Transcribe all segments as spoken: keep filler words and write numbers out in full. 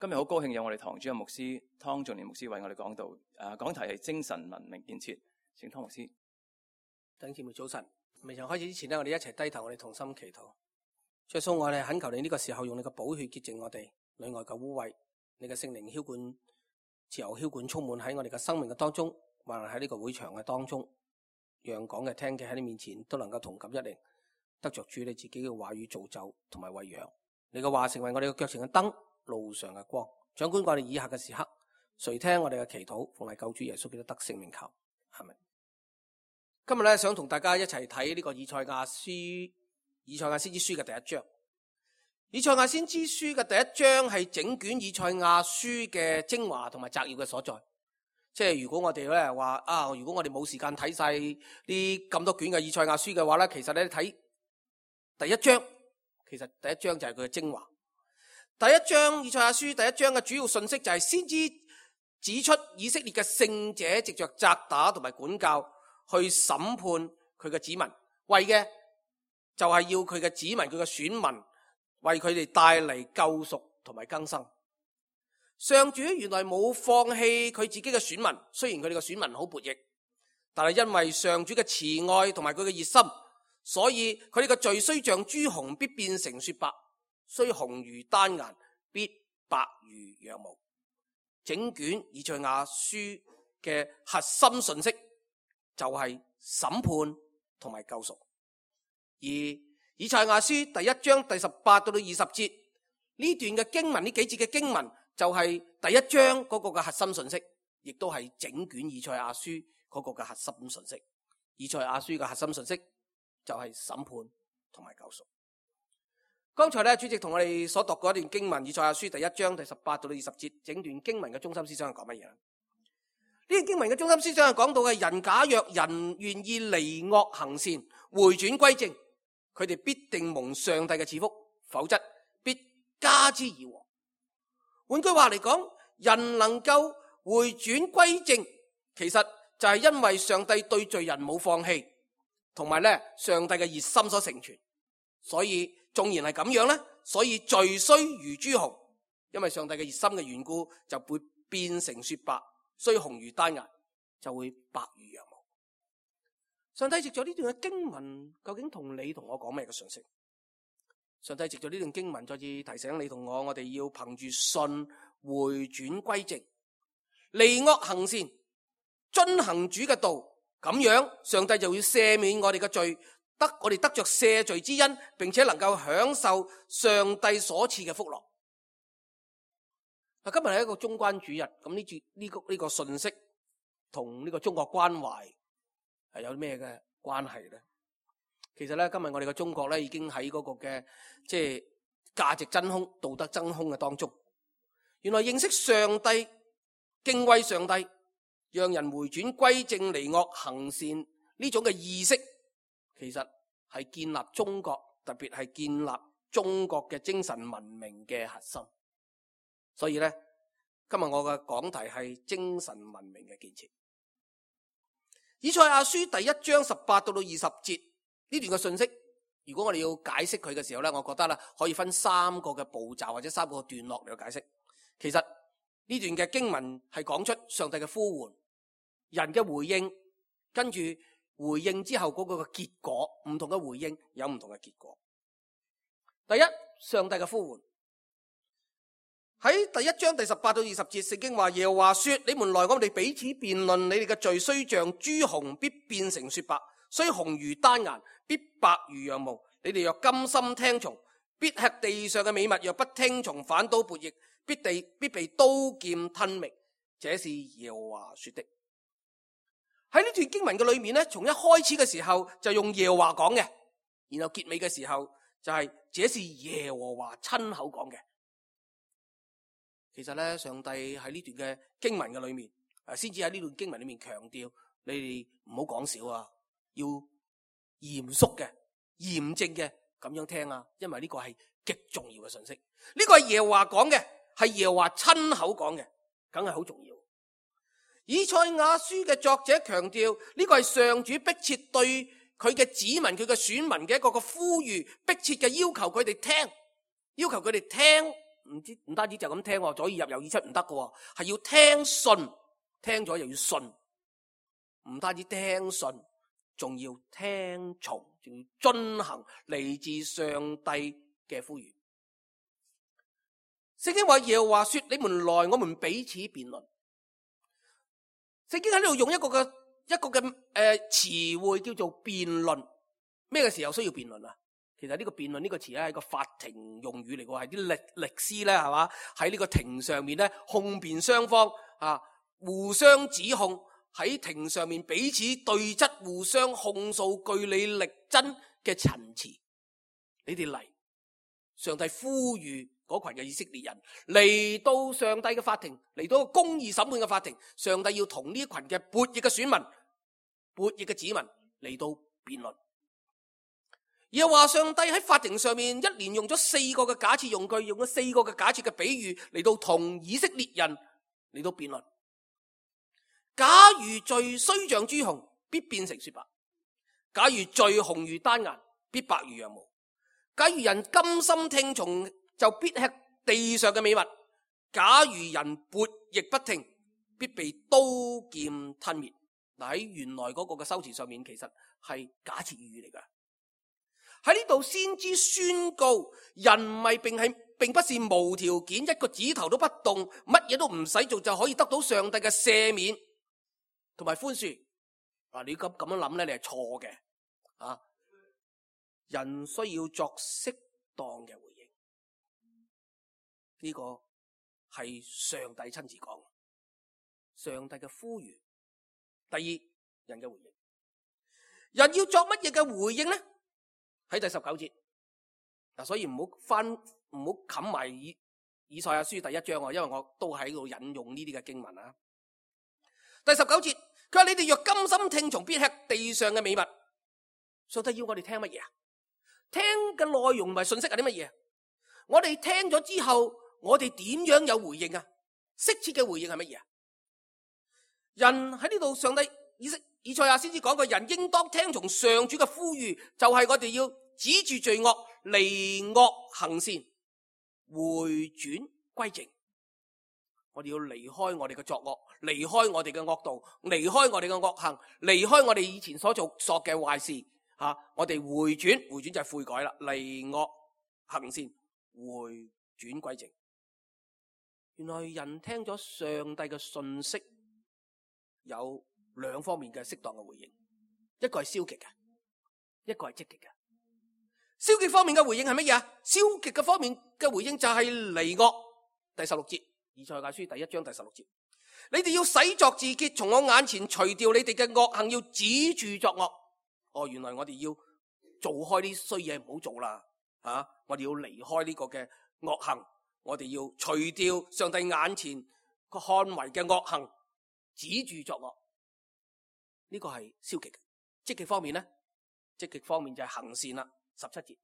今日好高興有我哋堂主任牧師湯仲年牧師為我哋講道，誒、啊，講題係精神文明建設，請湯牧師。弟兄姊妹早晨，未曾開始之前呢，我哋一齊低頭，我哋同心祈禱。主耶穌，我哋懇求你呢個時候用你嘅寶血潔淨我哋裏外嘅污穢，你嘅聖靈澆灌、自由澆灌充滿喺我哋嘅生命嘅當中，或者喺呢個會場嘅當中，讓講嘅聽嘅喺你面前都能夠同感一靈，得着主你自己嘅話語造就同埋餵養。你嘅話成為我哋嘅腳前嘅燈，路上嘅光。掌管我哋以下嘅時刻，垂聽我哋嘅祈禱，奉係救主耶穌基督得聖名求，阿們。今日咧想同大家一齊睇呢個以賽亞書，以賽亞先知書嘅第一章。以賽亞先知書嘅第一章係整卷以賽亞書嘅精華同埋摘要嘅所在。即係如果我哋咧話啊，如果我哋冇時間睇晒呢咁多卷嘅以賽亞書嘅話咧，其實咧睇第一章，其實第一章就係佢嘅精華。第一章以賽亞書第一章嘅主要信息就係先知指出以色列嘅聖者藉着責打同埋管教去審判佢嘅子民，為嘅就係要佢嘅子民、佢嘅選民為佢哋帶嚟救贖同埋更生。上主原來冇放棄佢自己嘅選民，雖然佢哋嘅選民好悖逆，但係因為上主嘅慈愛同埋佢嘅熱心，所以佢哋嘅罪雖像朱紅，必變成雪白；雖紅如丹顏，必白如羊毛。整卷以賽亞書嘅核心信息就係審判同埋救贖。而以賽亞書第一章第十八到到二十節呢段嘅經文，呢幾節嘅經文就係第一章嗰個嘅核心信息，亦都係整卷以賽亞書嗰個嘅核心信息。以賽亞書嘅核心信息就係審判同埋救贖。剛才咧，主席同我哋所讀過一段經文，以賽亞書第一章第十八到到二十節，整段經文嘅中心思想係講乜嘢？呢段經文嘅中心思想係講到嘅人，假若人願意離惡行善，回轉歸正，佢哋必定蒙上帝嘅賜福，否則必加之而禍。換句話嚟講，人能夠回轉歸正，其實就係因為上帝對罪人冇放棄，同埋咧上帝嘅熱心所成全。所以縱然係咁樣咧，所以罪雖如朱紅，因為上帝嘅熱心嘅緣故，就會變成雪白；雖紅如丹顏，就會白如羊毛。上帝藉咗呢段嘅經文，究竟同你同我講咩嘅信息？上帝藉咗呢段經文，再次提醒你同我，我哋要憑住信回轉歸正，離惡行善，遵行主嘅道，咁樣上帝就會赦免我哋嘅罪，得我哋得着赦罪之恩，並且能夠享受上帝所賜嘅福樂。今日係一個中關主日，咁呢節呢個呢個信息同呢個中國關懷係有咩嘅關係咧？其實咧，今日我哋嘅中國咧已經喺嗰個嘅即係價值真空、道德真空嘅當中。原來認識上帝、敬畏上帝，讓人回轉歸正、離惡行善呢種嘅意識，其實係建立中國，特別係建立中國嘅精神文明嘅核心。所以咧，今日我嘅講題係精神文明嘅建設。以賽亞書第一章十八到到二十節呢段嘅信息，如果我哋要解釋佢嘅時候咧，我覺得咧可以分三個嘅步驟或者三個段落嚟解釋。其實呢段嘅經文係講出上帝嘅呼喚，人嘅回應，跟住回應之後嗰個嘅結果，唔同嘅回應有唔同嘅結果。第一，上帝嘅呼喚。喺第一章第十八到二十節，聖經話耶和華說：你們來，我哋彼此辯論，你哋嘅罪雖像朱紅，必變成雪白；雖紅如丹顏，必白如羊毛。你哋若甘心聽從，必吃地上嘅美物；若不聽從，反倒悖逆，必地必被刀劍吞滅。這是耶和華說的。喺呢段經文嘅裏面咧，從一開始嘅時候就用耶和華講嘅，然後結尾嘅時候就係、是、這是耶和華親口講嘅。其實咧，上帝喺呢段嘅經文嘅裏面，誒，先至喺呢段經文裏面強調，你哋唔好講少啊，要嚴肅嘅、嚴正嘅咁樣聽啊，因為呢個係極重要嘅信息。呢個係耶和華講嘅，係耶和華親口講嘅，梗係好重要。以賽亞書嘅作者強調，呢個係上主迫切對佢嘅子民、佢嘅選民嘅一個個呼籲，迫切嘅要求佢哋聽，要求佢哋聽唔知唔單止就咁聽，左耳入右耳出唔得嘅，係要聽信，聽咗又要信，唔單止聽信，仲要聽從，仲要遵行嚟自上帝嘅呼籲。聖經話耶和華說：你們來，我們彼此辯論。聖經喺呢度用一個嘅一個嘅誒詞彙叫做辯論。咩嘅時候需要辯論啊？其實呢個辯論呢個詞咧係個法庭用語嚟嘅，係啲律律師咧係嘛，喺呢個庭上面咧控辯雙方啊互相指控，喺庭上面彼此對質，互相控訴據理力爭嘅陳詞。你哋嚟，上帝呼籲嗰群嘅以色列人嚟到上帝嘅法庭，嚟到個公義審判嘅法庭，上帝要同呢一群嘅悖逆嘅選民、悖逆嘅子民嚟到辯論。又話上帝喺法庭上面一連用咗四個嘅假設用句，用咗四個嘅假設嘅比喻嚟到同以色列人嚟到辯論。假如罪雖像朱紅，必變成雪白；假如罪紅如丹顏，必白如羊毛；假如人甘心聽從，就必吃地上嘅美物；假如人悖逆不聽，必被刀劍吞滅。嗱，喺原來嗰個嘅修辭上面，其實係假設語嚟噶。喺呢度先知宣告，人唔係並係並不是無條件一個指頭都不動，乜嘢都唔使做就可以得到上帝嘅赦免同埋寬恕。嗱，你咁咁樣諗咧，你係錯嘅啊！人需要作適當嘅回應，呢個係上帝親自講，上帝嘅呼籲。第二，人嘅回應，人要作乜嘢嘅回應呢？喺第十九節嗱，所以唔好翻唔好冚埋以以賽亞書第一章啊，因為我都喺度引用呢啲嘅經文啊。第十九節，佢話你哋若甘心聽從，必吃地上嘅美物。上帝要我哋聽乜嘢啊？聽嘅內容同埋信息係啲乜嘢？我哋聽咗之後，我哋點樣有回應啊？適切嘅回應係乜嘢啊？人喺呢度，上帝以色以賽亞先至講過，人應當聽從上主嘅呼籲，就係、是、我哋要止住罪惡，離惡行善，回轉歸正。我哋要離開我哋嘅作惡，離開我哋嘅惡道，離開我哋嘅惡行，離開我哋以前所做錯嘅壞事。吓、啊，我哋回轉，回轉就係悔改啦，離惡行善，回轉歸正。原來人聽咗上帝嘅信息，有兩方面嘅適當嘅回應，一個係消極嘅，一個係積極嘅。消極方面嘅回應係乜嘢啊？消極嘅方面嘅回應就係離惡。第十六節，以賽亞書第一章第十六節，你哋要洗作自潔，從我眼前除掉你哋嘅惡行，要止住作惡。哦，原來我哋要做開啲衰嘢，唔好做啦，啊！我哋要離開呢個嘅惡行，我哋要除掉上帝眼前個看為嘅惡行，止住作惡。呢個係消極嘅。積極方面呢？積極方面就係行善啦。十七節，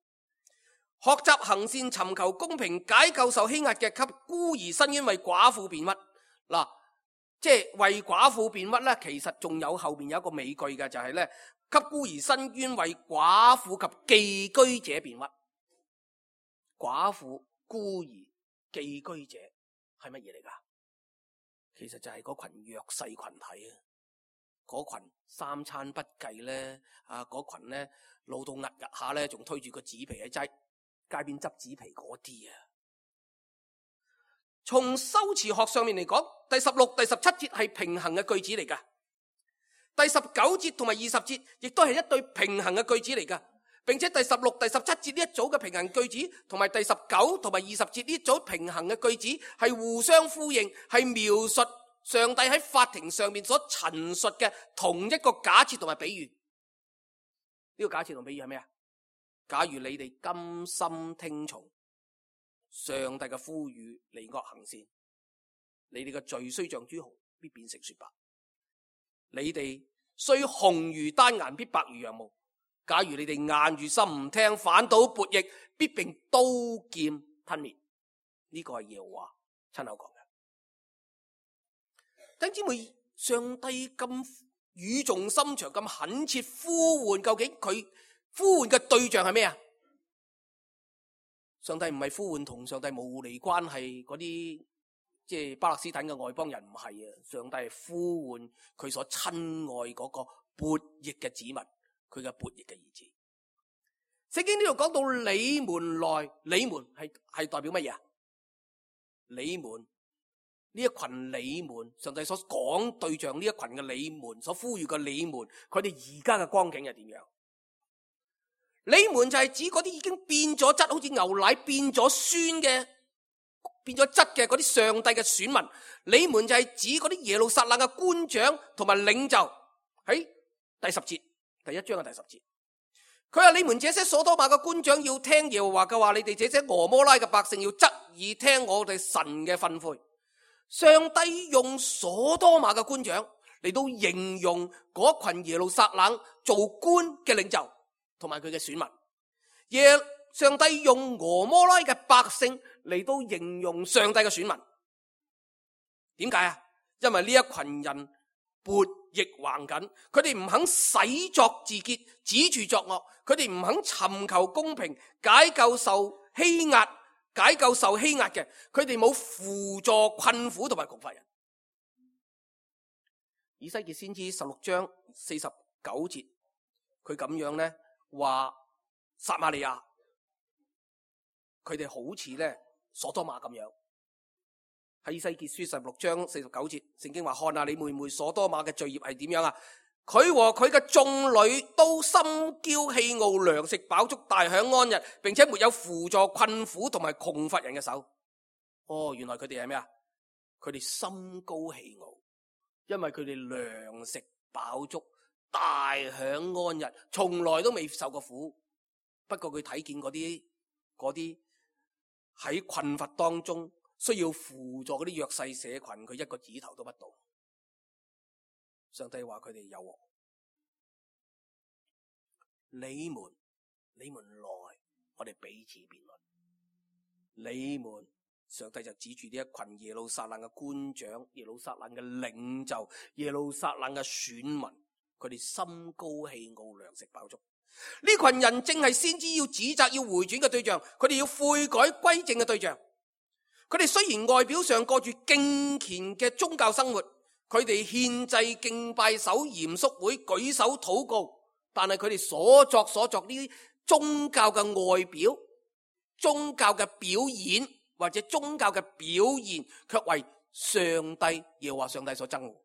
學習行善，尋求公平，解救受欺壓嘅，給孤兒伸冤，為寡婦辯屈。嗱，即係為寡婦辯屈咧，其實仲有後邊有一個美句嘅，就係咧，給孤兒伸冤，為寡婦及寄居者辯屈。寡婦、孤兒、寄居者係乜嘢嚟噶？其實就係嗰群弱勢群體啊，嗰群三餐不繼咧，啊，嗰群咧老到壓壓下咧，仲推住個紙皮喺街街邊執紙皮嗰啲啊。從修辭學上面嚟講，第十六、第十七節係平衡嘅句子嚟噶，第十九節同埋二十節亦都係一對平衡嘅句子嚟噶，並且第十六、第十七節呢一組嘅平衡句子，同埋第十九同埋二十節呢一組平衡嘅句子係互相呼應，係描述上帝喺法庭上面所陳述嘅同一個假設同埋比喻。呢個假設同比喻係咩啊？假如你哋甘心聽從上帝嘅呼籲，離惡行善，你哋嘅罪雖像朱紅，必變成雪白；你哋雖紅如丹顏，必白如羊毛。假如你哋硬住心唔聽，反倒悖逆，必並刀劍吞滅。呢、這個係耶和華親口講嘅。弟兄姊妹，上帝咁語重心長，咁懇切呼喚，究竟佢呼喚嘅對象係咩啊？上帝唔係呼喚同上帝無離關係嗰啲即係巴勒斯坦嘅外邦人，唔係啊！上帝係呼喚佢所親愛嗰個悖逆嘅子民，佢嘅悖逆嘅兒子。聖經呢度講到你們來，你們係係代表乜嘢啊？你們呢一群你們，上帝所講對象呢一群嘅你們，所呼籲嘅你們，佢哋而家嘅光景係點樣？你們就係指嗰啲已經變咗質，好似牛奶變咗酸嘅，變咗質嘅嗰啲上帝嘅選民。你們就係指嗰啲耶路撒冷嘅官長同埋領袖。喺第十節，第一章嘅第十節，佢話：你們這些所多瑪嘅官長要聽耶和華嘅話，你哋這些俄摩拉嘅百姓要側耳聽我哋神嘅訓誨。上帝用所多瑪嘅官長嚟到形容嗰群耶路撒冷做官嘅領袖同埋佢嘅選民，耶上帝用俄摩拉嘅百姓嚟到形容上帝嘅選民。點解啊？因為呢一群人悖逆橫緊，佢哋唔肯洗作自潔，止住作惡，佢哋唔肯尋求公平，解救受欺壓，解救受欺壓嘅，佢哋冇輔助困苦同埋窮乏人。以西結先知十六章四十九節，佢咁樣咧話撒瑪利亞，佢哋好似咧所多瑪咁樣。喺以西結書十六章四十九節，聖經話：看下你妹妹所多瑪嘅罪孽係點樣啊？佢和佢嘅眾女都心驕氣傲，糧食飽足，大享安逸，並且沒有輔助困苦同埋窮乏人嘅手。哦，原來佢哋係咩啊？佢哋心高氣傲，因為佢哋糧食飽足，大享安逸，從來都未受過苦。不過佢睇見嗰啲嗰啲喺困乏當中需要輔助嗰啲弱勢社群，佢一個指頭都不到。上帝話佢哋有禍。你們，你們來，我哋彼此辯論。你們，上帝就指住呢一群耶路撒冷嘅官長、耶路撒冷嘅領袖、耶路撒冷嘅選民，佢哋心高氣傲，糧食飽足。呢群人正係先知要指責、要回轉嘅對象，佢哋要悔改歸正嘅對象。佢哋雖然外表上過住敬虔嘅宗教生活，佢哋獻祭、敬拜、守嚴肅會、舉手禱告，但係佢哋所作所作呢啲宗教嘅外表、宗教嘅表演或者宗教嘅表現，卻為上帝耶和華上帝所憎惡，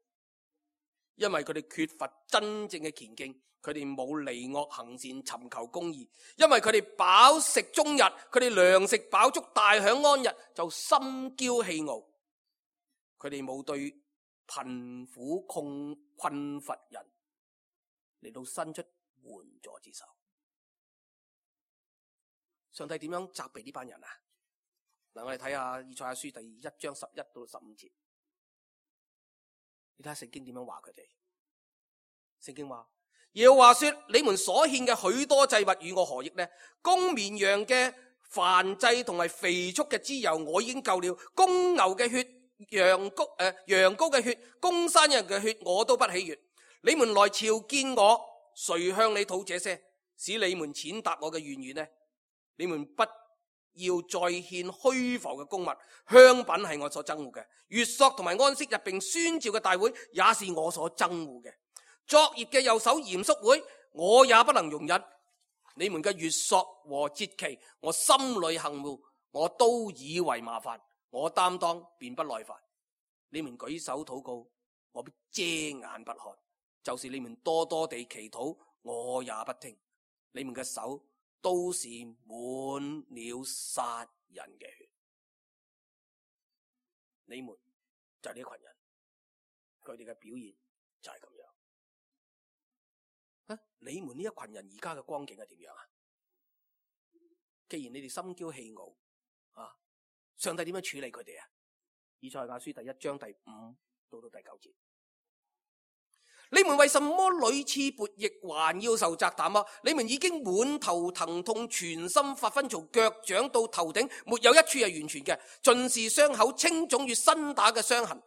因為佢哋缺乏真正嘅虔敬。佢哋冇離惡行善，尋求公義，因為佢哋飽食終日，佢哋糧食飽足，大享安逸，就心驕氣傲。佢哋冇對貧苦窮困乏人嚟到伸出援助之手。上帝點樣責備呢班人啊？嗱，我哋睇下以賽亞書第一章十一到十五節，你睇下聖經點樣話佢哋。聖經話：耶和華說，你們所獻嘅許多祭物與我何益呢？公綿羊嘅燔祭同埋肥畜嘅脂油我已經夠了，公牛嘅血、羊羔誒、呃、羊羔嘅血、公山人嘅血我都不喜悅。你們來朝見我，誰向你討這些，使你們踐踏我嘅院宇呢？你們不要再獻虛浮嘅供物，香品係我所憎惡嘅，月朔同埋安息日並宣召嘅大會也是我所憎惡嘅。作孽嘅又守嚴肅會，我也不能容忍。你們嘅月朔和節期，我心裏恨惡，我都以為麻煩，我擔當便不耐煩。你們舉手禱告，我必遮眼不看；就是你們多多地祈禱，我也不聽。你們嘅手都是滿了殺人嘅血。你們就係呢群人，佢哋嘅表現就係咁樣。啊、你們呢一群人而家嘅光景係點樣啊？既然你哋心驕氣傲，啊，上帝點樣處理佢哋啊？以賽亞書第一章第五到到第九節，你們為什麼屢次悖逆，還要受責打嗎？你們已經滿頭疼痛，全身發昏，從腳掌到頭頂，沒有一處係完全嘅，盡是傷口、青腫與新打嘅傷痕。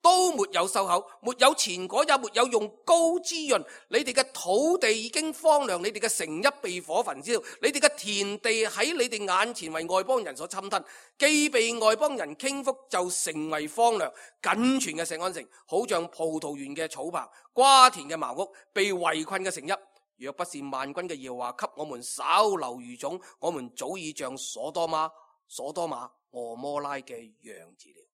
都沒有收口，沒有前果，也沒有用膏滋潤。你哋嘅土地已經荒涼，你哋嘅城邑被火焚燒，你哋嘅田地喺你哋眼前為外邦人所侵吞，既被外邦人傾覆，就成為荒涼。僅存嘅錫安城，好像葡萄園嘅草棚，瓜田嘅茅屋，被圍困嘅城邑。若不是萬軍嘅耶和華給我們稍留餘種，我們早已像所多瑪、所多瑪、蛾摩拉嘅樣子了。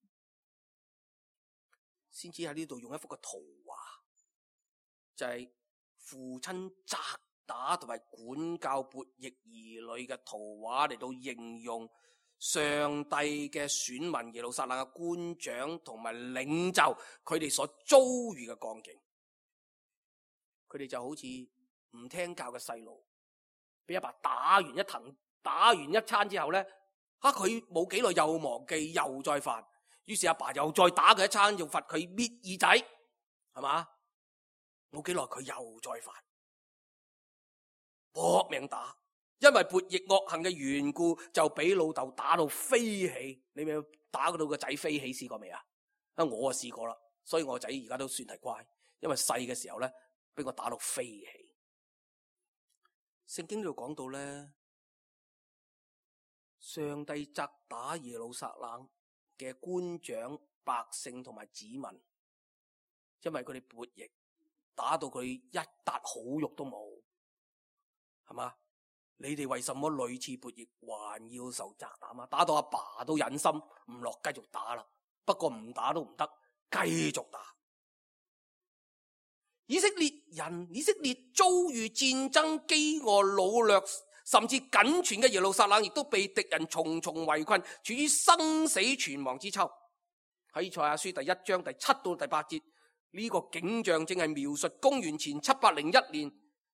先知喺呢度用一幅嘅圖畫，就係、是、父親責打同埋管教悖逆兒女嘅圖畫嚟到形容上帝嘅選民耶路撒冷嘅官長同埋領袖，佢哋所遭遇嘅光景。佢哋就好似唔聽教嘅細路，俾阿爸打完一藤，打完一餐之後咧，吓佢冇幾耐又忘記又再犯。於是阿爸又再打佢一餐，又罰佢搣耳仔，係嘛？冇幾耐佢又再犯，搏命打，因為悖逆惡行嘅緣故，就俾老豆打到飛起。你咪打到個仔飛起試過未啊？啊，我啊試過啦，所以我仔而家都算係乖，因為細嘅時候咧，俾我打到飛起。聖經呢度講到咧，上帝責打耶路撒冷嘅官長、百姓同埋子民，因為佢哋悖逆，打到佢一笪好肉都冇，係嘛？你哋為什麼屢次悖逆，還要受責打嘛？打到阿爸，爸都忍心唔落，繼續打啦。不過唔打都唔得，繼續打。以色列人，以色列遭遇戰爭、飢餓、擄掠，甚至僅存嘅耶路撒冷亦都被敵人重重圍困，處於生死存亡之秋。喺以賽亞書第一章第七到第八節，呢、這個景象正係描述公元前七百零一年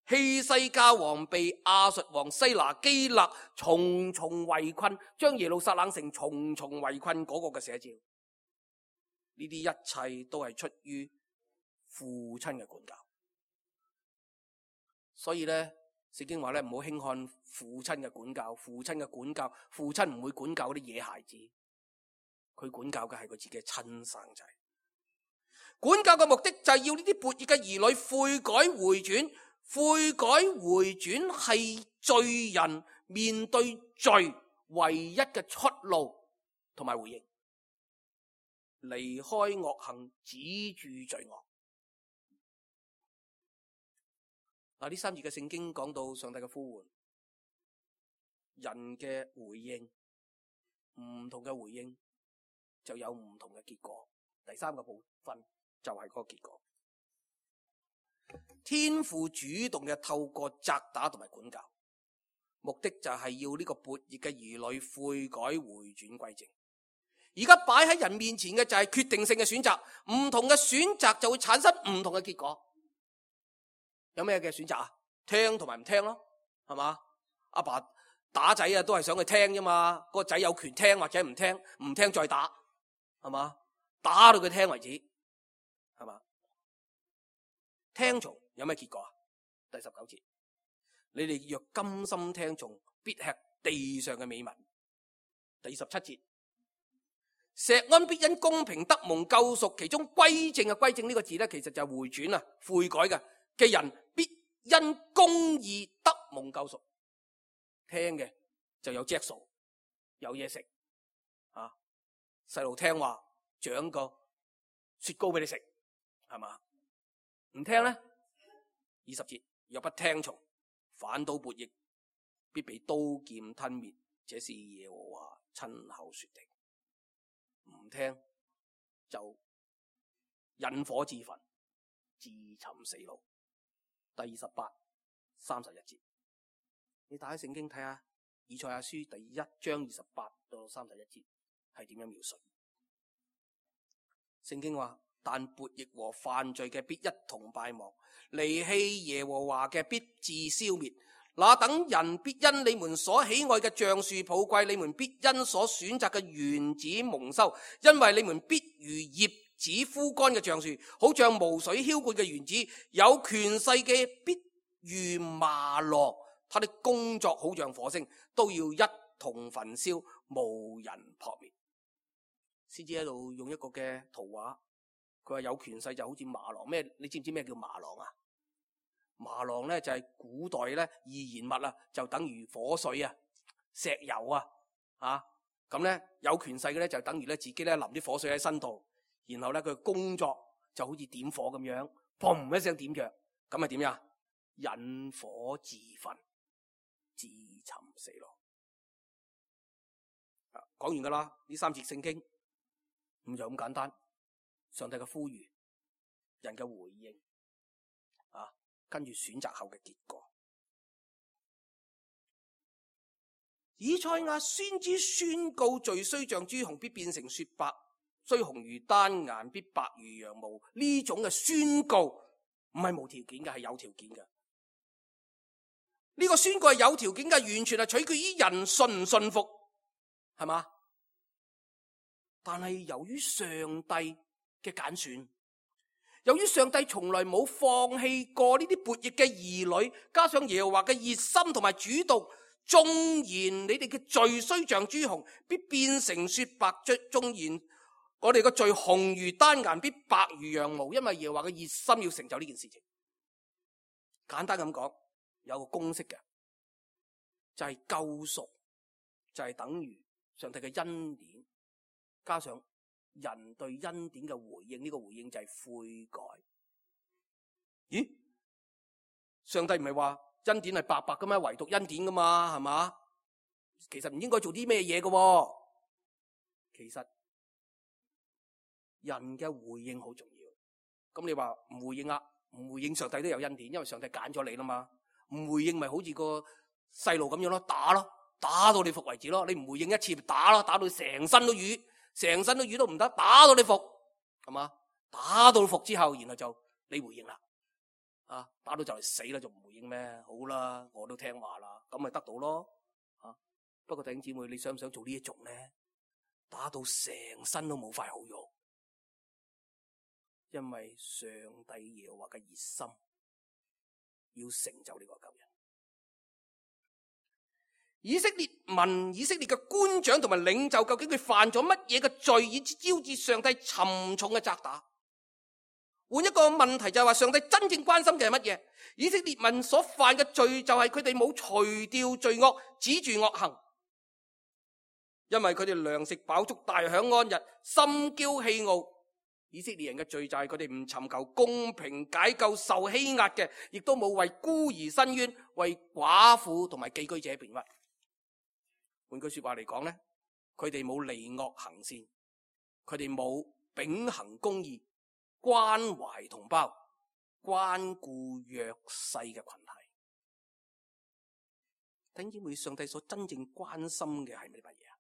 希西家王被亞述王西拿基勒重重圍困，將耶路撒冷城重重圍困嗰個嘅寫照。呢啲一切都係出於父親嘅管教。所以咧，聖經話咧，唔好輕看父親嘅管教。父親嘅管教，父親唔會管教嗰啲野孩子，佢管教嘅係佢自己嘅親生仔。管教嘅目的就係要呢啲悖逆嘅兒女悔改回轉。悔改回轉係罪人面對罪唯一嘅出路同埋回應，離開惡行，止住罪惡。嗱，呢三節嘅聖經講到上帝嘅呼喚，人嘅回應，唔同嘅回應就有唔同嘅結果。第三個部分就係嗰個結果。天父主動嘅透過責打同埋管教，目的就係要呢個悖逆嘅兒女悔改回轉歸正。而家擺喺人面前嘅就係決定性嘅選擇，唔同嘅選擇就會產生唔同嘅結果。有咩嘅選擇啊？聽同埋唔聽咯，係嘛？阿爸打仔啊，都係想佢聽啫嘛。個仔有權聽或者唔聽，唔聽再打，係嘛？打到佢聽為止，係嘛？聽從有咩結果啊？第十九節，你哋若甘心聽從，必吃地上嘅美物。第二十七節，錫安必因公平得蒙救贖，其中歸正嘅歸正呢個字咧，其實就係回轉啊，悔改嘅嘅人必因公義得蒙救贖。聽嘅就有著數，有嘢食啊！細路聽話，獎個雪糕俾你食，係嘛？唔聽咧，二十節，若不聽從，反倒悖逆，必被刀劍吞滅。這是耶和華親口說的。唔聽就引火自焚，自尋死路。第二十八、三十一節，你打開聖經睇下，以賽亞書第一章二十八到三十一節係點樣描述？聖經話：但悖逆和犯罪嘅必一同敗亡，離棄耶和華嘅必致消滅。那等人必因你們所喜愛嘅橡樹抱愧，你們必因所選擇嘅園子蒙羞，因為你們必如葉子枯乾嘅橡樹，好像無水澆灌嘅園子。有權勢嘅必如麻羅，他的工作好像火星，都要一同焚燒，無人撲滅。先至喺度用一個嘅圖畫佢話有權勢就好似麻狼咩？你知唔知咩叫麻狼啊？麻狼咧就係古代咧易燃物啊，就等於火水啊、石油啊，啊咁咧有權勢嘅咧就等於咧自己咧淋啲火水喺身度，然後咧佢工作就好似點火咁樣，砰一聲點着，咁係點呀？引火自焚，自尋死路。講完噶啦，呢三節聖經咁就咁簡單。上帝嘅呼籲，人嘅回應，啊，跟住選擇後嘅結果。以賽亞先知宣告罪雖像朱紅，必變成雪白；雖紅如丹顏，必白如羊毛。呢種嘅宣告唔係無條件嘅，係有條件嘅。呢、這個宣告係有條件嘅，完全係取決於人信唔信服，係嘛？但係由於上帝嘅揀選，由於上帝從來冇放棄過呢啲悖逆嘅兒女，加上耶和華嘅熱心同埋主動，縱然你哋嘅罪雖像朱紅，必變成雪白；縱然我哋嘅罪紅如丹顏，必白如羊毛。因為耶和華嘅熱心要成就呢件事情。簡單咁講，有個公式嘅，就係救贖，就係等於上帝嘅恩典，加上人對恩典嘅回應，呢個回應就係悔改。咦？上帝唔係話恩典係白白噶嘛，唯獨恩典噶嘛，係嘛？其實唔應該做啲咩嘢噶。其實人嘅回應好重要。咁你話唔回應啊？唔回應上帝都有恩典，因為上帝揀咗你啦嘛。唔回應咪好似個細路咁樣咯，打咯，打到你服為止咯。你唔回應一次，打咯，打到成身都瘀。成身都瘀都唔得，打到你服，係嘛？打到服之後，然後就你回應啦，啊，打到就嚟死啦，就唔回應咩？好啦，我都聽話啦，咁咪得到咯，啊。不過弟兄姊妹，你想唔想做呢一種咧？打到成身都冇塊好肉，因為上帝耶和華嘅熱心要成就呢個救恩。以色列民、以色列嘅官長同埋領袖，究竟佢犯咗乜嘢嘅罪，以致招致上帝沉重嘅責打？換一個問題就係話，上帝真正關心嘅係乜嘢？以色列民所犯嘅罪就係佢哋冇除掉罪惡，止住惡行，因為佢哋糧食飽足，大享安逸，心驕氣傲。以色列人嘅罪就係佢哋唔尋求公平解救受欺壓嘅，亦都冇為孤兒伸冤，為寡婦同埋寄居者辯屈。換句說話嚟講咧，佢哋冇離惡行善，佢哋冇秉行公義，關懷同胞，關顧弱勢嘅群體。弟兄姊妹，上帝所真正關心嘅係乜嘢啊？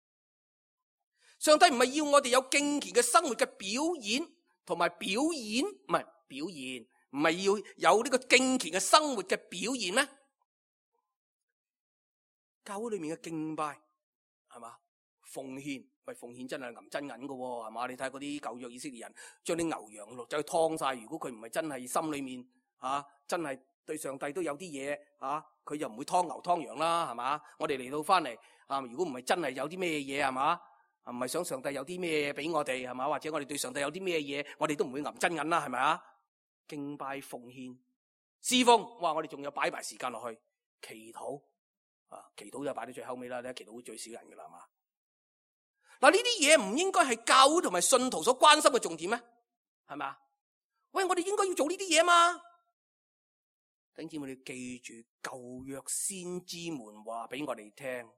上帝唔係要我哋有敬虔嘅生活嘅表演同埋表演，唔係表現，唔係要有呢個敬虔嘅生活嘅表現咩？教會裏面嘅敬拜係嘛？奉獻，喂，奉獻真係銀真銀嘅喎，係嘛？你睇下嗰啲舊約以色列人將啲牛羊肉走去劏晒，如果佢唔係真係心裏面啊，真係對上帝都有啲嘢啊，佢就唔會劏牛劏羊啦，係嘛？我哋嚟到翻嚟啊，如果唔係真係有啲咩嘢係嘛？唔係想上帝有啲咩嘢俾我哋係嘛？或者我哋對上帝有啲咩嘢，我哋都唔會銀真銀啦，係咪啊？敬拜奉獻侍奉，哇！我哋仲有擺埋時間落去祈禱啊，祈禱就擺到最後尾啦，你祈禱會最少人噶啦，係嘛？嗱，呢啲嘢唔應該係教會同埋信徒所關心嘅重點咩？係咪啊？喂，我哋應該要做呢啲嘢嘛？弟兄姊妹，你記住舊約先知們話俾我哋聽，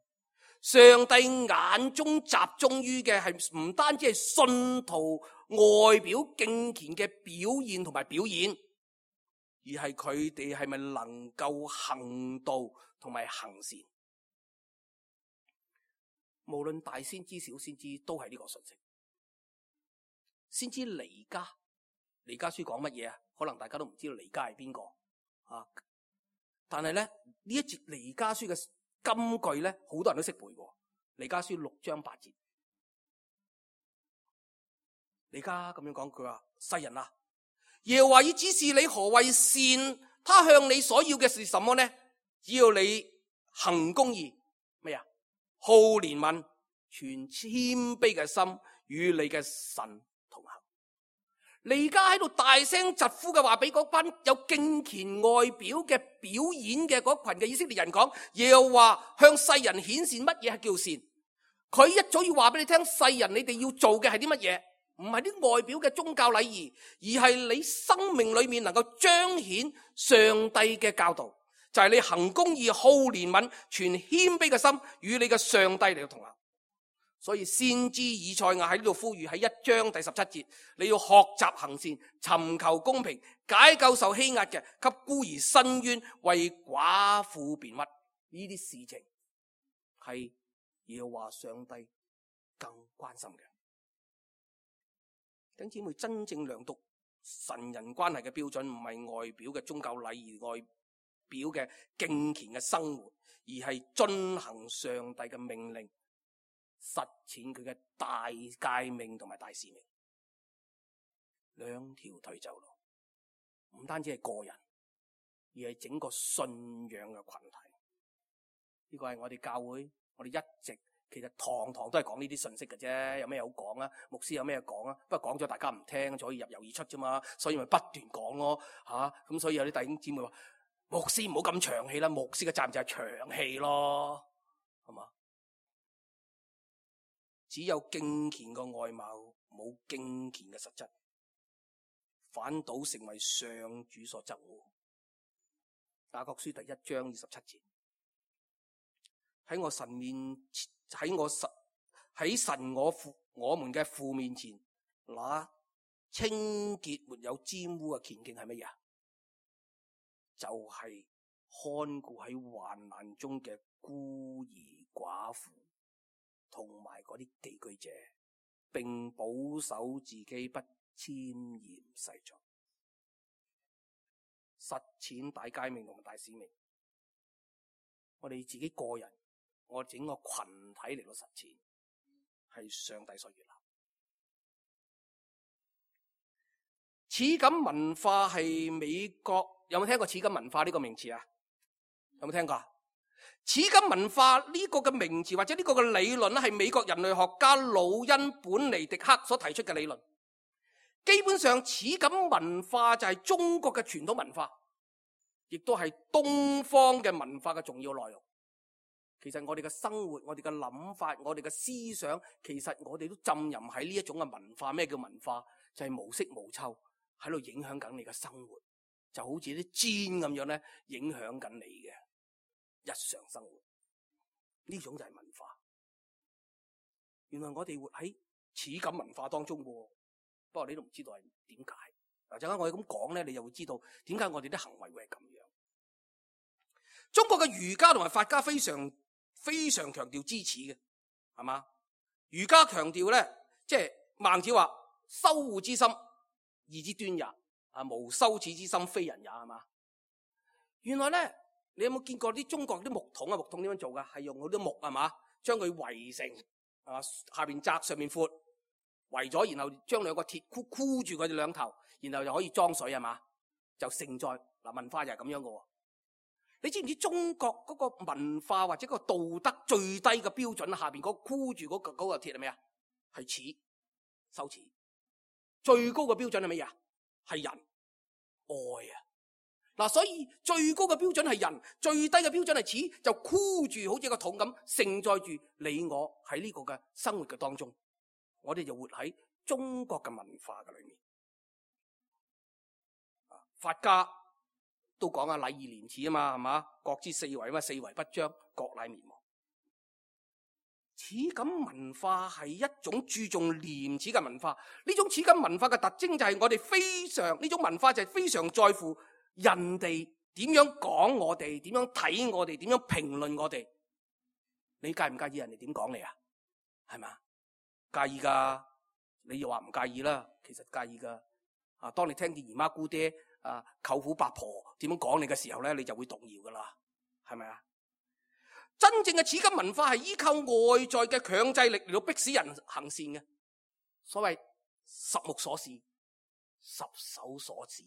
上帝眼中集中於嘅係唔單止係信徒外表敬虔嘅表現同埋表演，而係佢哋係咪能夠行道同埋行善。無論大先知小先知都係呢個信息。先知彌迦，彌迦書講乜嘢啊？可能大家都唔知道彌迦係邊個啊？但係咧呢一節彌迦書嘅金句咧，好多人都識背嘅。彌迦書六章八節，彌迦咁樣講，佢話：世人啊，耶和華已指示你何為善，他向你所要嘅是什麼呢？只要你行公義，咩啊？好憐憫，存謙卑嘅心，與你嘅神同行。你而家喺度大聲疾呼嘅話，俾嗰班有敬虔外表嘅表演嘅嗰群嘅以色列人講，又話向世人顯示乜嘢係叫善。佢一早要話俾你聽，世人你哋要做嘅係啲乜嘢？唔係啲外表嘅宗教禮儀，而係你生命裏面能夠彰顯上帝嘅教導，就係你行公義、好憐憫、存謙卑嘅心，與你嘅上帝嚟到同行。所以先知以賽亞喺呢度呼籲，喺一章第十七節，你要學習行善，尋求公平，解救受欺壓嘅，給孤兒伸冤，為寡婦辯屈。呢啲事情係耶和華上帝更關心嘅。弟兄姊妹，真正量度神人關係嘅標準，唔係外表嘅宗教禮儀、外表嘅敬虔嘅生活，而係遵行上帝嘅命令，實踐佢嘅大誡命同埋大使命。兩條腿走路，唔單止係個人，而係整個信仰嘅群體。呢個係我哋教會，我哋一直其實堂堂都係講呢啲信息嘅啫，有咩好講啊？牧師有咩講啊？不過講咗大家唔聽，就可以入油而出啫嘛，所以咪不斷講咯吓。咁、啊、所以有啲弟兄姊妹話，牧師唔好咁長氣啦，牧師嘅責任就係長氣咯，係嘛？只有敬虔嘅外貌，冇敬虔嘅實質，反倒成為上主所憎惡。雅各書第一章二十七節，喺我神面喺我神喺神我父我們嘅父面前，那清潔沒有沾污嘅虔敬係乜嘢啊？就係、是、看顧喺患難中嘅孤兒寡婦，同埋嗰啲寄居者，並保守自己不沾染世俗，實踐大誡命同埋大使命。我哋自己個人，我整個群體嚟到實踐，係上帝所悅納。似錦文化係美國，有冇聽過似錦文化呢個名詞啊？有冇聽過？似錦文化呢個嘅名詞或者呢個嘅理論咧，係美國人類學家魯恩本尼迪克所提出嘅理論。基本上似錦文化就係中國嘅傳統文化，亦都係東方嘅文化嘅重要內容。其實我哋嘅生活、我哋嘅諗法、我哋嘅思想，其實我哋都浸淫喺呢一種嘅文化。咩叫文化？就係無色無臭，喺度影響緊你嘅生活，就好似啲箭咁樣咧，影響緊你嘅日常生活。呢種就係文化。原來我哋活喺似錦文化當中嘅，不過你都唔知道係點解。嗱，陣間我哋咁講咧，你就會知道點解我哋啲行為會係咁樣。中國嘅儒家同埋法家非常非常強調知恥嘅，係嘛？儒家強調咧，即係孟子話：羞惡之心，義之端也。啊，無羞恥之心，非人也，係嘛？原來咧，你有冇見過啲中國啲木桶啊？木桶點樣做噶？係用嗰啲木，係嘛？將佢圍成啊，下邊窄上面闊，圍咗，然後將兩個鐵箍箍住佢哋兩頭，然後就可以裝水，係嘛？就盛載。嗱，文化就係咁樣嘅。你知唔知中國嗰個文化或者個道德最低嘅標準下邊嗰箍住嗰個嗰個鐵係咩啊？係恥，羞恥。最高嘅標準係乜嘢啊？係人愛啊！嗱，所以最高嘅標準係人，最低嘅標準係恥，就箍住好似個桶咁，盛載住你我喺呢個嘅生活嘅當中，我哋就活喺中國嘅文化嘅裏面。法家都講啊，禮義廉恥啊嘛，係嘛？國之四維嘛，四維不張，國乃滅亡。似錦文化係一種注重廉恥嘅文化。呢種似錦文化嘅特徵就係我哋非常呢種文化就係非常在乎人哋點樣講我哋，點樣睇我哋，點樣評論我哋。你介唔介意人哋點講你啊？係嘛？介意噶？你又話唔介意啦，其實介意噶。啊，當你聽見姨媽姑爹啊、舅父伯婆點樣講你嘅時候咧，你就會動搖噶啦，係咪啊？真正嘅似錦文化係依靠外在嘅強制力嚟到迫使人行善嘅。所謂十目所視，十手所指，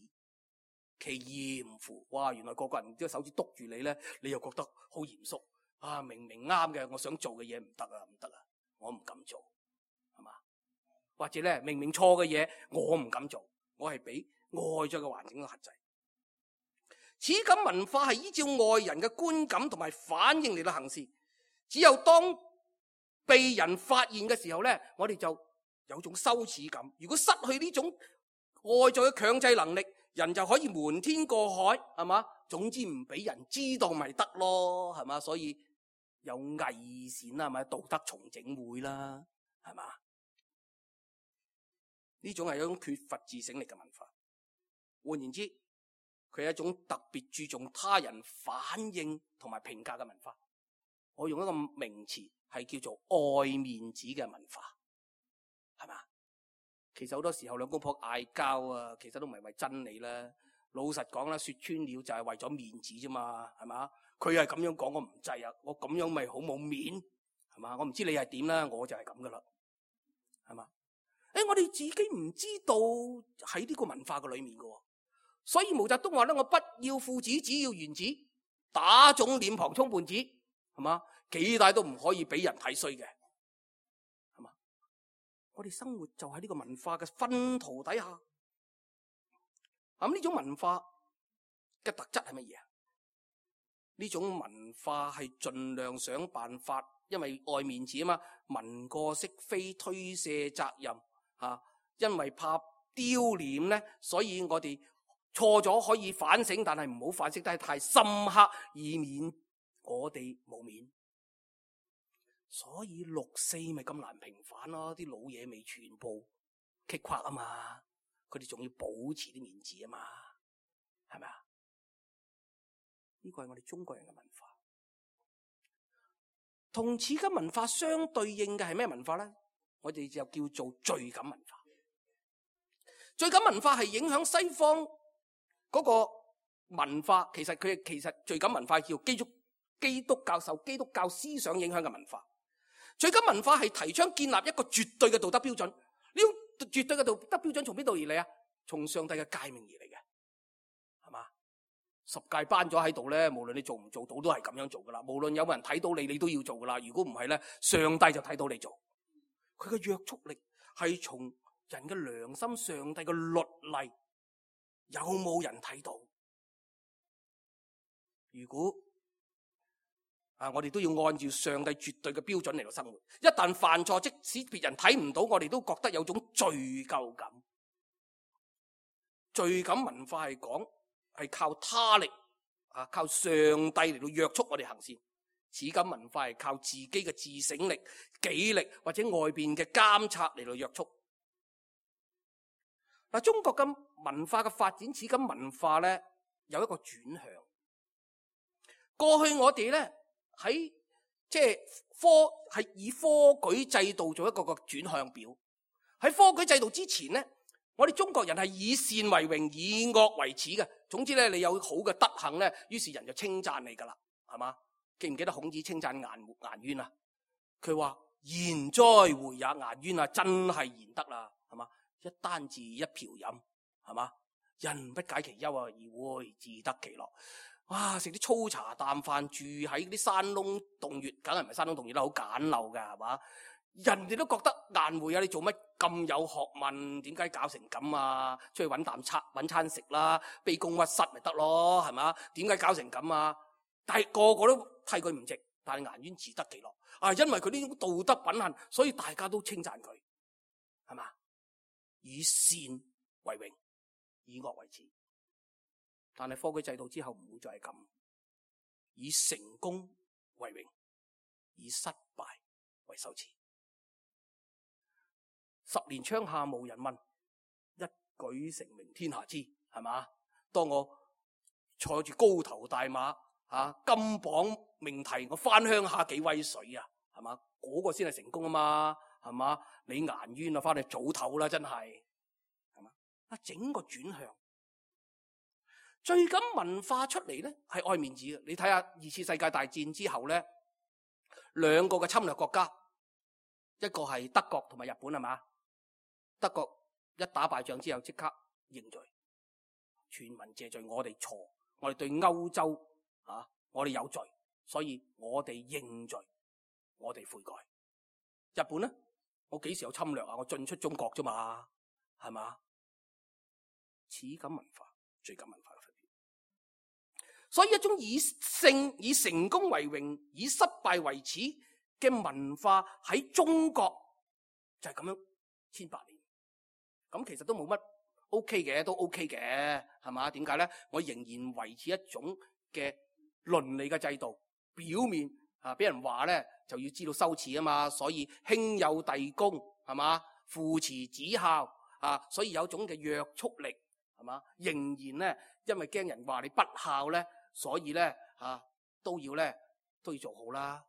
其嚴乎。哇！原來個個人隻手指督住你咧，你又覺得好嚴肅啊！明明啱嘅，我想做嘅嘢唔得啊，唔得啊，我唔敢做，係嘛？或者咧，明明錯嘅嘢，我唔敢做。我係俾外在嘅環境嘅限制。此感文化係依照外人嘅觀感同埋反應嚟到行事。只有當被人發現嘅時候咧，我哋就有種羞恥感。如果失去呢種外在嘅強制能力，人就可以瞞天過海，係嘛？總之唔俾人知道咪得咯，係嘛？所以有偽善啦，係咪？道德重整會啦，係嘛？呢種係一種缺乏自省力嘅文化。換言之，佢係一種特別注重他人反應同埋評價嘅文化。我用一個名詞係叫做愛面子嘅文化，係嘛？其實好多時候兩公婆嗌交啊，其實都唔係為真理啦。老實講啦，說穿了就係為咗面子啫嘛，係嘛？佢係咁樣講，我唔制啊，我咁樣咪好冇面，係嘛？我唔知你係點啦，我就係咁噶啦，係嘛？誒，我哋自己唔知道喺呢個文化嘅裏面噶，所以毛澤東話咧：我不要父子，只要原子，打腫臉龐充胖子，係嘛？幾大都唔可以俾人睇衰嘅。我哋生活就喺呢個文化嘅熏陶底下，咁呢種文化嘅特質係乜嘢啊？呢種文化係盡量想辦法，因為愛面子啊嘛，文過飾非，推卸責任啊，因為怕丟臉咧，所以我哋錯咗可以反省，但係唔好反省得太深刻，以免我哋冇面。所以六四咪咁難平反咯，啲老嘢未全部擊垮啊嘛，佢哋仲要保持啲面子啊嘛，係咪啊？呢個係我哋中國人嘅文化。同此嘅文化相對應嘅係咩文化咧？我哋就叫做罪感文化。罪感文化係影響西方嗰個文化，其實佢其實罪感文化叫基督基督教受基督教思想影響嘅文化。罪感文化係提倡建立一個絕對嘅道德標準，呢種絕對嘅道德標準從邊度而嚟啊？從上帝嘅誡命而嚟嘅，係嘛？十誡頒咗喺度咧，無論你做唔做到都係咁樣做噶啦。無論有冇人睇到你，你都要做噶啦。如果唔係咧，上帝就睇到你做。佢嘅約束力係從人嘅良心、上帝嘅律例，有冇人睇到？如果啊！我哋都要按照上帝絕對嘅標準嚟到生活。一旦犯錯，即使別人睇唔到，我哋都覺得有種罪疚感。罪感文化係講係靠他力啊，靠上帝嚟到約束我哋行事。此感文化係靠自己嘅自省力、紀力或者外邊嘅監察嚟到約束。嗱，中國嘅文化嘅發展，此感文化咧有一個轉向。過去我哋咧。喺即係科係以科舉制度做一個個轉向表。喺科舉制度之前咧，我哋中國人係以善為榮，以惡為恥嘅。總之咧，你有好嘅德行咧，於是人就稱讚你噶啦，係嘛？記唔記得孔子稱讚顏顏淵啊？佢話賢哉回也，顏淵啊，真係賢德啦，係嘛？一簞治，一瓢飲，係嘛？人不解其憂啊，而會自得其樂。哇！食啲粗茶淡飯，住喺啲山窿洞穴，梗係唔係山窿洞穴啦，好簡陋噶，係嘛？人哋都覺得顏回啊，你做乜咁有學問？點解搞成咁啊？出去搵啖餐搵餐食啦，卑躬屈膝咪得咯，係嘛？點解搞成咁啊？但係個個都替佢唔值，但係顏淵自得其樂啊！因為佢呢種道德品行，所以大家都稱讚佢，係嘛？以善為榮，以惡為恥。但係科舉制度之後唔會再係咁，以成功為榮，以失敗為羞恥。十年窗下無人問，一舉成名天下知，係嘛？當我坐住高頭大馬啊，金榜命題，我翻鄉下幾威水啊，係嘛？嗰個先係成功啊嘛，係嘛？你顏淵啊，翻去早唞啦，真係，係嘛？啊，整個轉向。罪感文化出嚟咧，係愛面子嘅。你睇下二次世界大戰之後咧，兩個嘅侵略國家，一個係德國同埋日本，係嘛？德國一打敗仗之後，即刻認罪，全民謝罪，我哋錯，我哋對歐洲啊，我哋有罪，所以我哋認罪，我哋悔改。日本咧，我幾時有侵略啊？我進出中國啫嘛，係嘛？恥感文化、罪感文化嘅分別。所以一種以勝、以成功為榮、以失敗為恥嘅文化喺中國就係咁樣千百年。咁其實都冇乜 OK 嘅，都 OK 嘅，係嘛？點解咧？我仍然維持一種嘅倫理嘅制度，表面啊俾人話咧就要知道羞恥啊嘛，所以兄友弟恭，係嘛？父慈子孝啊，所以有種嘅約束力，係嘛？仍然咧，因為驚人話你不孝咧，所以咧啊都要咧都要做好啦。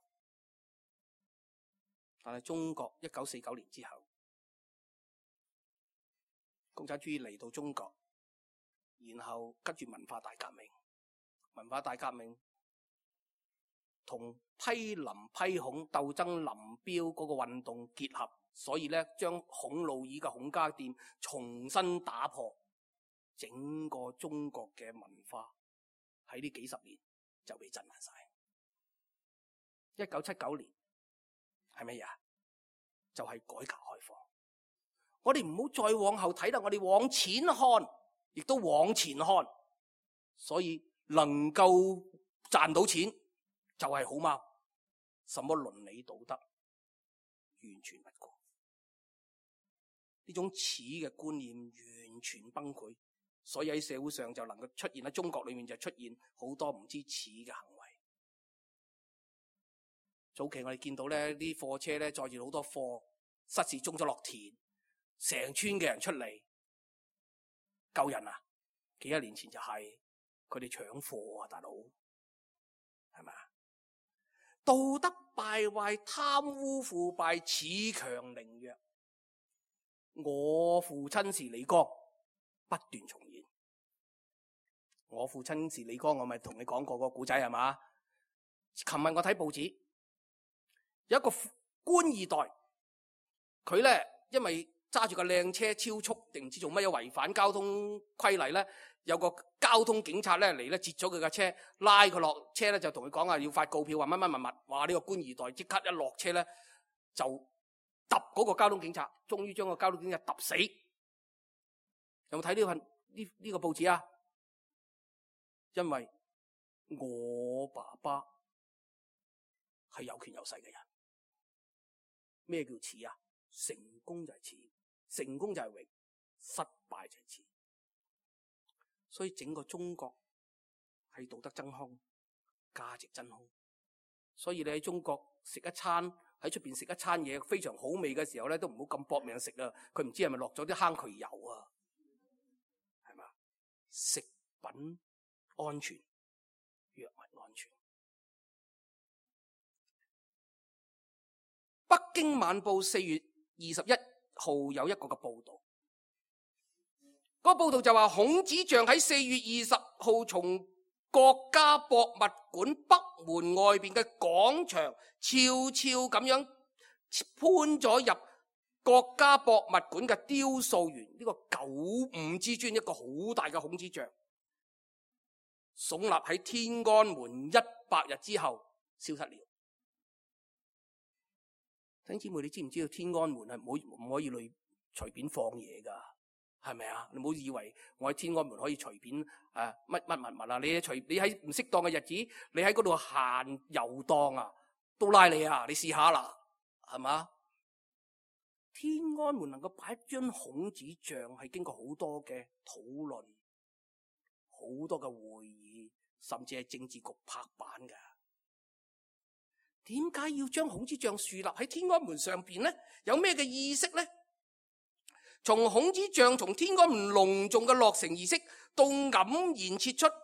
但係中國一九四九年之後，共產主義嚟到中國，然後跟住文化大革命，文化大革命同批林批孔鬥爭林彪嗰個運動結合，所以咧將孔老二嘅孔家店重新打破，整個中國嘅文化喺呢幾十年就被震撼晒。一九七九年係咩呀？就係改革開放。我哋唔好再往後睇啦，我哋往前看，亦都往前看。所以能夠賺到錢就係好貓，什麼倫理道德完全不顧。呢種恥嘅觀念完全崩潰，所以喺社會上就能夠出現，喺中國裏面就出現好多唔知恥嘅行為。早期我哋見到咧啲貨車咧載住好多貨，失事中咗落田，成村嘅人出嚟救人啊！幾一年前就係佢哋搶貨啊，大佬係咪啊？道德敗壞、貪污腐敗、恃強凌弱。我父親是李剛不斷重現。我父親是李剛，我咪同你講過個故仔係嘛？琴日我睇報紙，有一個官二代，佢咧因為揸住個靚車超速定唔知做乜嘢違反交通規例咧，有個交通警察咧嚟咧截咗佢架車，拉佢落車咧就同佢講啊要發告票，話乜乜乜乜，話呢個官二代即刻一落車咧就揼嗰個交通警察，終於將個交通警察揼死。有冇睇呢份呢呢個報紙啊？因為我爸爸係有權有勢嘅人。咩叫恥啊？成功就係恥，成功就係榮，失敗就係恥。所以整個中國係道德真空，價值真空。所以你喺中國食一餐，喺出邊食一餐嘢非常好味嘅時候咧，都唔好咁搏命食啊！佢唔知係咪落咗啲坑渠油啊？係嘛？食品安全，藥物安全。北京晚報四月二十一號有一個嘅報道，嗰個報道就話孔子像喺四月二十號從國家博物館北門外邊嘅廣場悄悄咁樣搬咗入國家博物館嘅雕塑園，呢、這個九五之尊，一個好大嘅孔子像，聳立喺天安門一百日之後消失了。弟兄姊妹，你知唔知道天安門係唔可唔可以嚟隨便放嘢噶？係咪啊？你唔好以為我喺天安門可以隨便誒乜乜物物啊！你隨你喺唔適當嘅日子，你喺嗰度閒遊蕩啊，都拉你啊！你試下啦，係嘛？天安門能夠擺一張孔子像，係經過好多嘅討論，好多嘅會議，甚至係政治局拍板㗎。點解要將孔子像樹立喺天安門上邊呢？有咩嘅意識呢？從孔子像從天安門隆重嘅落成儀式到黯然撤出，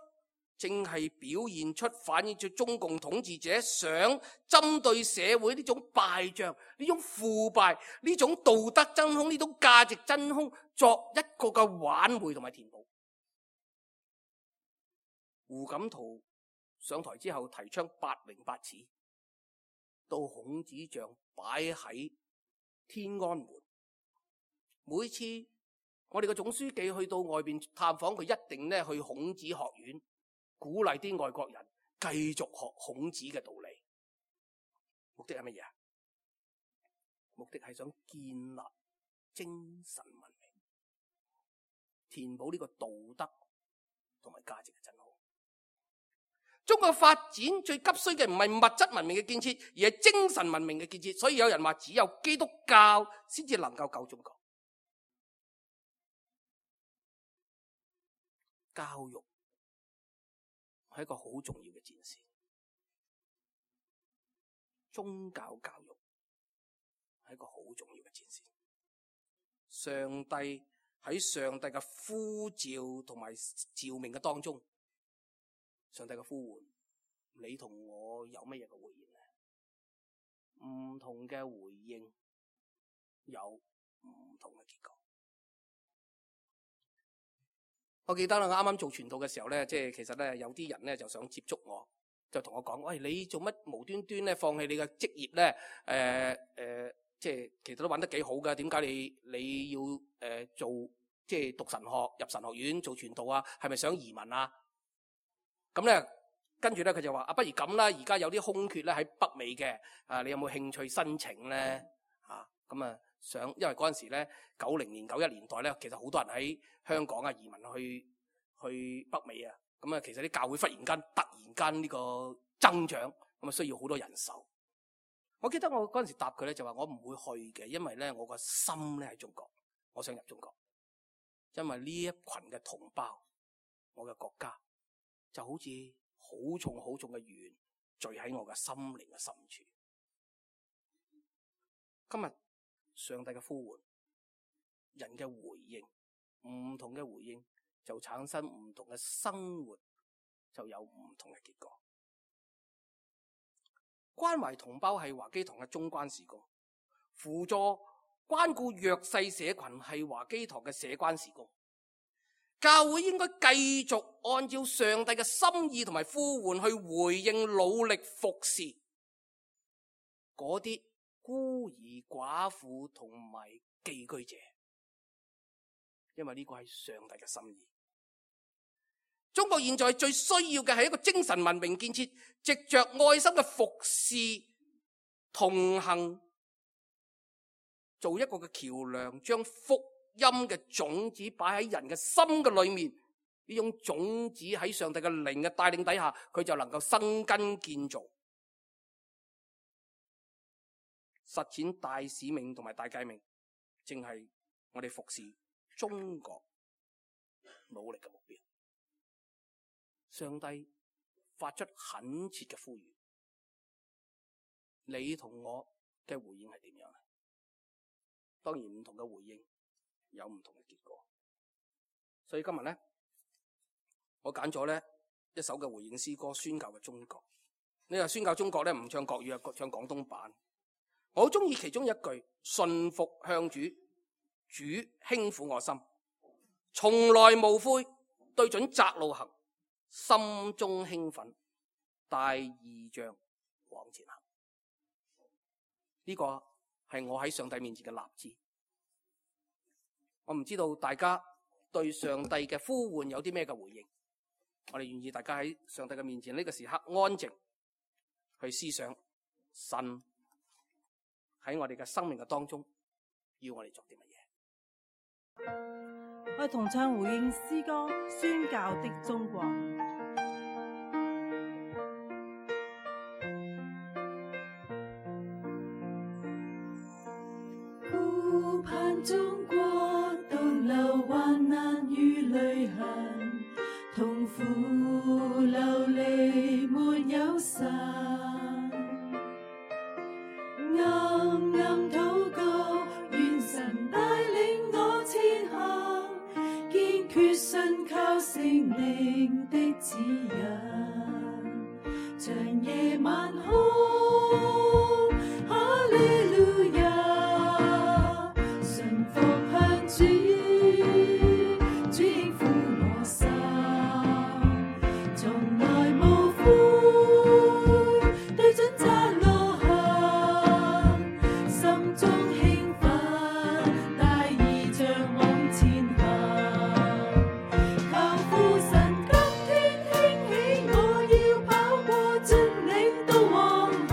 正係表現出反映出中共統治者想針對社會呢種敗象、呢種腐敗、呢種道德真空、呢種價值真空作一個嘅挽回同埋填補。胡錦濤上台之後提倡八榮八恥，到孔子像擺喺天安門，每次我哋嘅總書記去到外邊探訪，佢一定咧去孔子學院，鼓勵啲外國人繼續學孔子嘅道理。目的係乜嘢啊？目的係想建立精神文明。填補呢個道德同埋價值嘅真好。中國發展最急需嘅唔係物質文明嘅建設，而係精神文明嘅建設。所以有人話只有基督教先至能夠救中國。教育係一個好重要嘅戰線，宗教教育係一個好重要嘅戰線。上帝喺上帝嘅呼召同埋召命嘅當中，上帝嘅呼喚，你同我有乜嘢嘅回應呢？唔同嘅回應有唔同嘅結果。我記得啦，我啱啱做傳道嘅時候咧，即係其實咧有啲人咧就想接觸我，就同我講：喂，你做乜無端端咧放棄你嘅職業咧？誒、呃、誒、呃，即係其實都揾得幾好㗎，點解你你要誒、呃、做即係讀神學入神學院做傳道啊？係咪想移民啊？咁咧，跟住咧佢就話：啊，不如咁啦，而家有啲空缺咧喺北美嘅，啊，你有冇興趣申請咧？嚇，咁啊想，因為嗰陣時咧九零年九一年代咧，其實好多人喺香港啊移民去去北美啊，咁啊其實啲教會忽然間突然間呢個增長，咁啊需要好多人手。我記得我嗰陣時答佢咧就話：我唔會去嘅，因為咧我個心咧喺中國，我想入中國，因為呢一群嘅同胞，我嘅國家。就好似好重好重嘅鉛聚喺我嘅心靈嘅深處。今日上帝嘅呼喚，人嘅回應，唔同嘅回應就產生唔同嘅生活，就有唔同嘅結果。關懷同胞係華基堂嘅中關事工，輔助關顧弱勢社群係華基堂嘅社關事工。教會應該繼續按照上帝嘅心意同埋呼喚去回應，努力服侍嗰啲孤兒寡婦同埋寄居者，因為呢個係上帝嘅心意。中國現在最需要嘅係一個精神文明建設，藉着愛心嘅服侍同行，做一個嘅橋梁，將福音嘅種子擺喺人嘅心嘅裏面，呢種種子喺上帝嘅靈嘅帶領底下，佢就能夠生根建造，實踐大使命同埋大誡命，正係我哋服侍中國努力嘅目標。上帝發出懇切嘅呼籲，你同我嘅回應係點樣呢？當然唔同嘅回應有唔同嘅結果，所以今日咧，我揀咗咧一首嘅回應詩歌，宣教嘅中國。你話宣教中國咧，唔唱國語啊，唱廣東版。我好中意其中一句：順服向主，主輕撫我心，從來無悔，對準窄路行，心中興奮，帶異象往前行。呢、這個係我喺上帝面前嘅立志。我唔知道大家對上帝嘅呼喚有啲咩嘅回應，我哋願意大家喺上帝嘅面前呢個時刻安靜去思想神喺我哋嘅生命嘅當中要我哋做啲乜嘢。我哋同唱回應詩歌《宣教的中國》。顧盼中國獨留患難與淚痕，痛苦流離沒有神，暗暗禱告，願神帶領我前行，堅決信靠聖靈的指引，長夜晚空，哈利路亞。神今天興起，我要跑過峻嶺到黃河。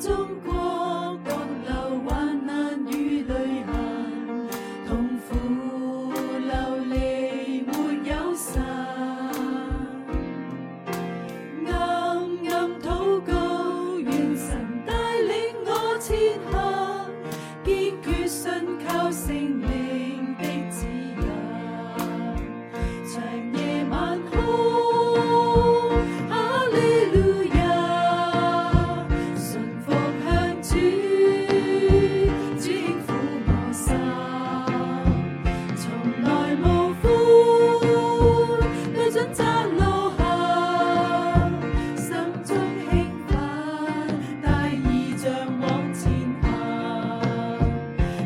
中國各流患難與淚痕，痛苦流離沒有神。暗暗禱告，願神帶領我前行，堅決信靠聖靈的指引。長夜晚空，哈利路亞，順服向主，主輕撫我心，從來無悔，對準窄路行，心中興奮，帶異象往前行。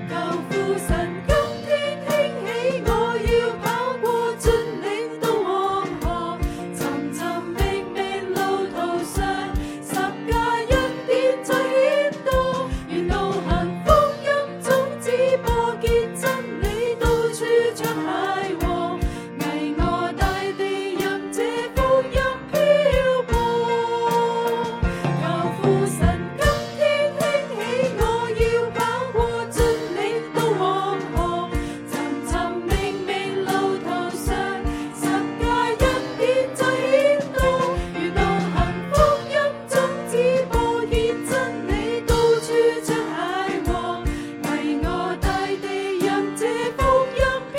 求父神今天興起，我要跑過峻嶺到黃河，尋尋覓覓路途上，十架恩典最顯多。願路行福音種子播結真理，到處唱諧和，巍峨大地任這福音漂泊。求父神今天興起，我要跑過峻嶺到黃河，尋尋覓覓路途上，十架恩典最顯多。願路行福音種子播結真理，到處唱諧和，巍峨大地任這福音漂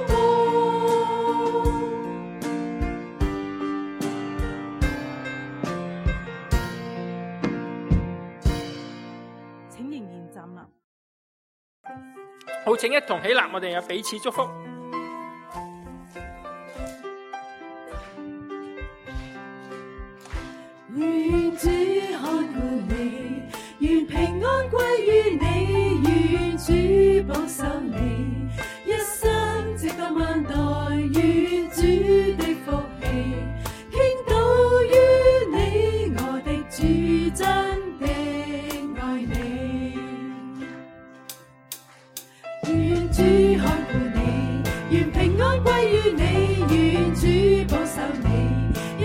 泊。請仍然站立。好，請一同起立，我哋有彼此祝福。願主看顧你，願平安歸於你，願主保守你，一生直到萬代，願主的福氣傾倒於你，我的主真的愛你。願主看顧你，願平安歸於你，願主保守你，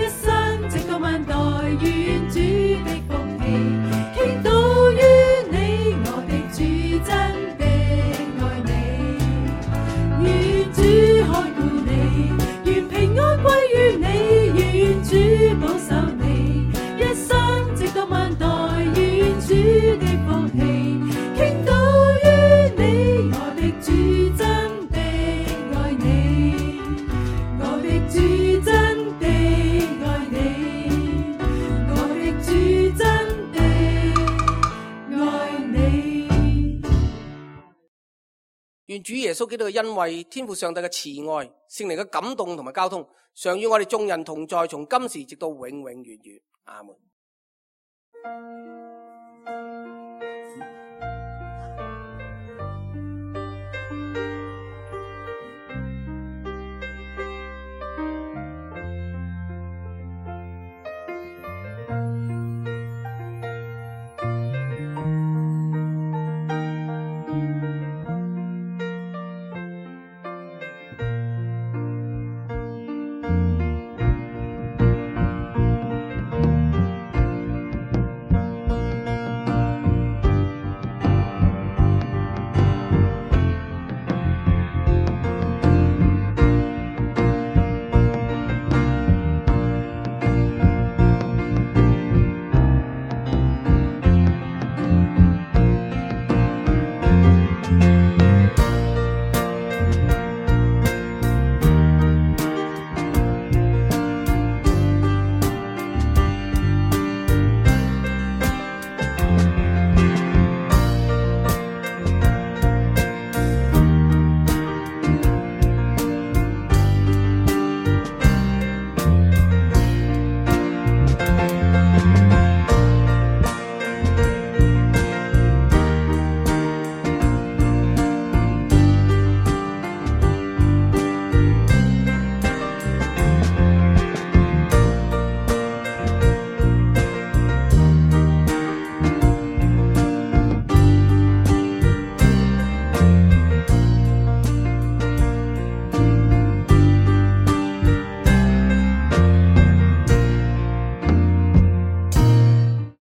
一生直到萬代，願主的福氣傾倒於你，我的主真的愛你。願主看顧你，願平安歸於你，願主保守你，一生直到萬代，願主的福氣傾倒於你，我的主真的愛你，我的主真的愛你，我的主真的愛你。願主耶穌基督嘅恩惠、天父上帝嘅慈愛、聖靈嘅感動同埋交通，常與我哋眾人同在，從今時直到永永遠遠。阿門。